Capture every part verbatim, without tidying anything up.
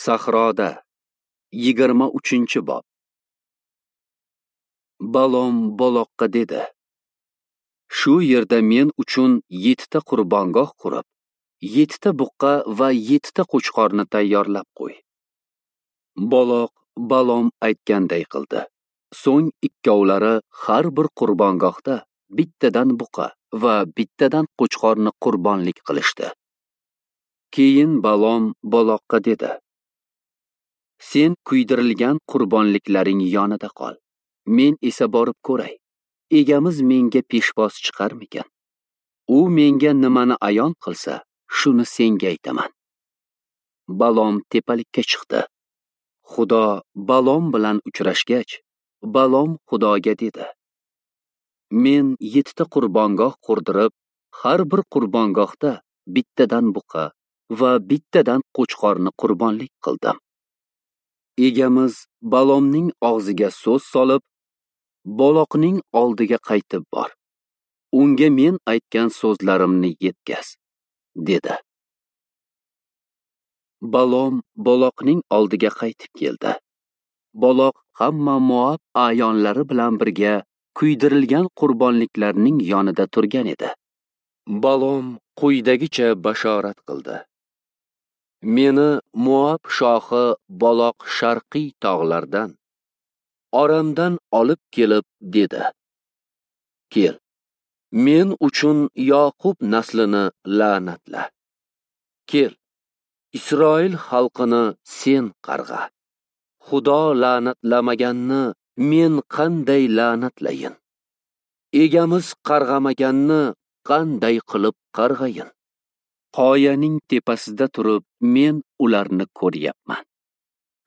Sahroda yigirma uchinchi bob. Balom Baloqqa dedi: Shu yerda men uchun yettita qurbongoh qurib, yettita buqqa va yettita qo'chqorni tayyorlab qo'y. Baloq Balom aytganday qildi. So'ng ikkovlari har bir qurbongohda bittadan buqa va bittadan qo'chqorni qurbonlik qilishdi. Keyin Balom Baloqqa dedi: Sen kuydirilgan qurbonliklaring yonida qol. Men esa borib ko'ray. Egamiz menga peshvoz chiqarmikan? U menga nimani ayon qilsa, shuni senga aytaman. Balom tepalikka chiqdi. Xudo Balom bilan uchrashgach, Balom Xudoga dedi: Men yettita qurbongoh qurdirib, har bir qurbongohda bittadan buqa va bittadan qo'chqorni qurbonlik qildim. Egamiz Balomning og'ziga so'z solib, Baloqning oldiga qaytib bor. Unga men aytgan so'zlarimni yetkaz, dedi. Balom Baloqning oldiga qaytib keldi. Baloq hamma Moab a'yonlari bilan birga kuydirilgan qurbonliklarning yonida turgan edi. Balom quyidagicha bashorat qildi: Meni Moab shohi Baloq sharqiy tog'lardan, Oramdan olib kelib dedi: Kel, men uchun Yoqub naslini la'natla. Kel, Isroil xalqini sen qarg'a. Xudo la'natlamaganni men qanday la'natlayin? Egamiz qarg'amaganni qanday qilib qarg'ayin? Qoyaning tepasida turib men ularni ko'ryapman.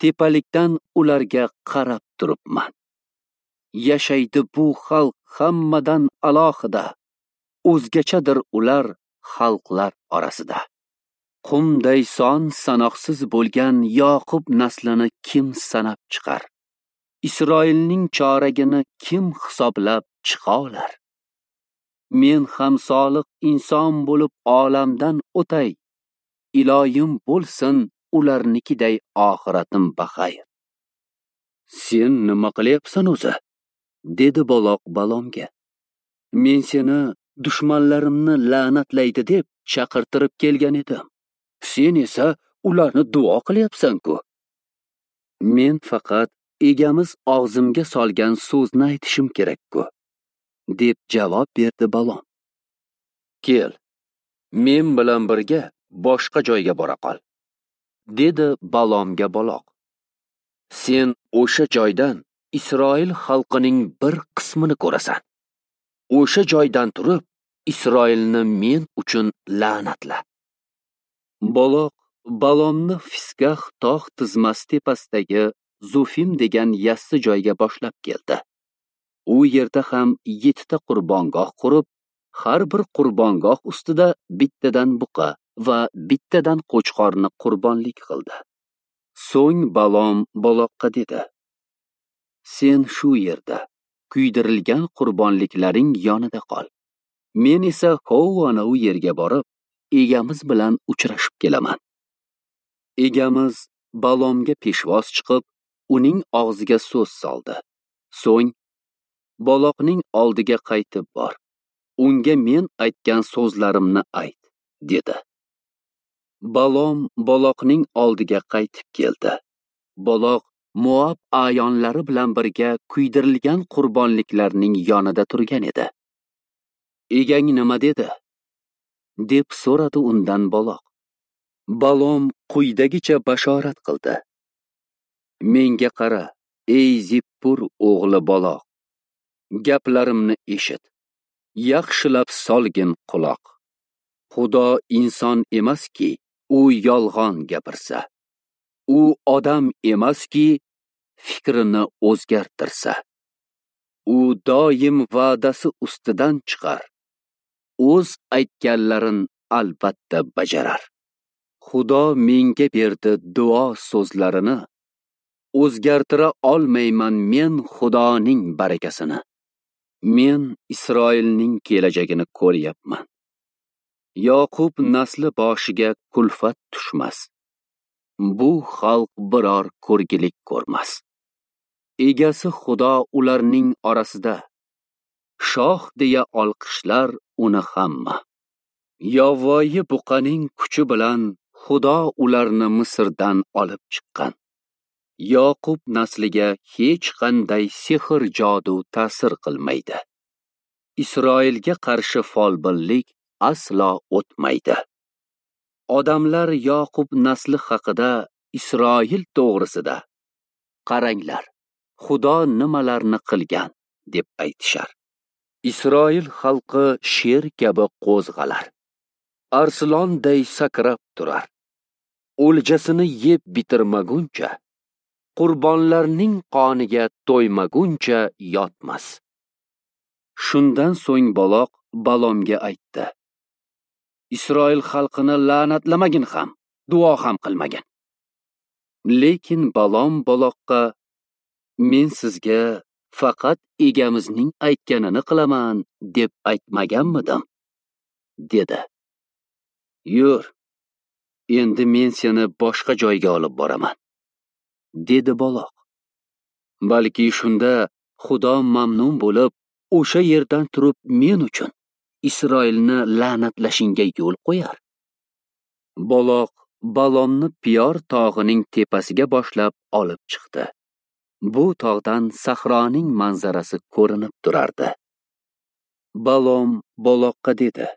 Tepalikdan ularga qarab turibman. Yashaydi bu xalq hammadan alohida, o'zgachadir ular xalqlar orasida. Qumday son sanoqsiz bo'lgan Yoqub naslini kim sanab chiqar? Isroilning choragini kim hisoblab chiqa olar? Men ham solih inson bo'lib olamdan o'tay. Iloyim bo'lsin ularnikiday oxiratim baxayr. Sen nima qilyapsan o'zi? Dedi Baloq Balomga. Men seni dushmanlarimni la'natlaydi deb chaqirtirib kelgan edim. Sen esa ularni duo qilyapsan-ku. Men faqat egamiz og'zimga solgan so'zni aytishim kerak-ku, deb javob berdi Balom. Kel, men bilan birga boshqa joyga bora qol, dedi Balomga Baloq. Sen o'sha joydan Isroil xalqining bir qismini ko'rasan. O'sha joydan turib Isroilni men uchun la'natla. Baloq Balomni Fisgax tog' tizmasi tepasidagi Zufim degan yassi joyga boshlab keldi. U yerda ham yettita qurbongoh qurib, har bir qurbongoh ustida bittadan buqa va bittadan qo'chqorni qurbonlik qildi. So'ng Balom Baloqqa dedi: Sen shu yerda kuydirilgan qurbonliklaring yonida qol. Men esa hov ana u yerga borib, egamiz bilan uchrashib kelaman. Egamiz Balomga peshvoz chiqib, uning og'ziga so'z soldi. So'ng Baloqning oldiga qaytib bor. Unga men aytgan so'zlarimni ayt, dedi. Balom Baloqning oldiga qaytib keldi. Baloq Moab a'yonlari bilan birga kuydirilgan qurbonliklarning yonida turgan edi. Egang nima dedi? Deb so'radi undan Baloq. Balom quyidagicha bashorat qildi: Menga qara, ey Zippur o'g'li Baloq. Gaplarimni eshit. Yaxshilab solgin quloq. Xudo inson emaski, u yolg'on gapirsa. U odam emaski, fikrini o'zgartirsa. U doim va'dasi ustidan chiqar. O'z aytganlarin albatta bajarar. Xudo menga berdi duo so'zlarini. O'zgartira olmayman men Xudoning barakasini. Men Isroilning kelajagini ko'ryapman. Yoqub nasli boshiga kulfat tushmas. Bu xalq biror ko'rgilik ko'rmas. Egasi Xudo ularning orasida. Shoh deya olqishlar uni hamma. Yovvoyi buqaning kuchi bilan Xudo ularni Misrdan olib chiqqan. Yoqub nasliga hech qanday sehr jodu ta'sir qilmaydi. Isroilga qarshi folbinlik aslo o'tmaydi. Odamlar Yoqub nasli haqida, Isroil to'g'risida qaranglar, Xudo nimalarni qilgan deb aytishar. Isroil xalqi sher kabi qo'zg'alar, arslonday sakrab turar. O'ljasini yeb bitirmaguncha, qurbonlarning qoniga to'ymaguncha yotmas. Shundan so'ng Baloq Balomga aytdi: Isroil xalqini la'natlamagin ham, duo ham qilmagin. Lekin Balom Baloqqa: Men sizga faqat egamizning aytganini qilaman deb aytmaganmidim? Dedi. Yur, endi men seni boshqa joyga olib boraman, dedi Baloq. Balki shunda Xudo mamnun bo'lib, o'sha yerdan turib men uchun Isroilni la'natlashingga yo'l qo'yar. Baloq Balomni Piyor tog'ining tepasiga boshlab olib chiqdi. Bu tog'dan sahroning manzarasi ko'rinib turardi. Balom Baloqqa dedi: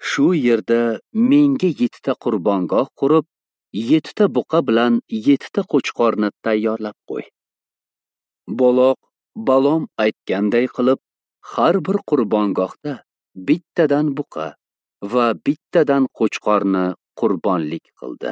Shu yerda menga yettita qurbongoh qurib, yettita buqa bilan yettita qo'chqorni tayyorlab qo'y. Baloq Balom aytganday qilib, har bir qurbongohda bittadan buqa va bittadan qo'chqorni qurbonlik qildi.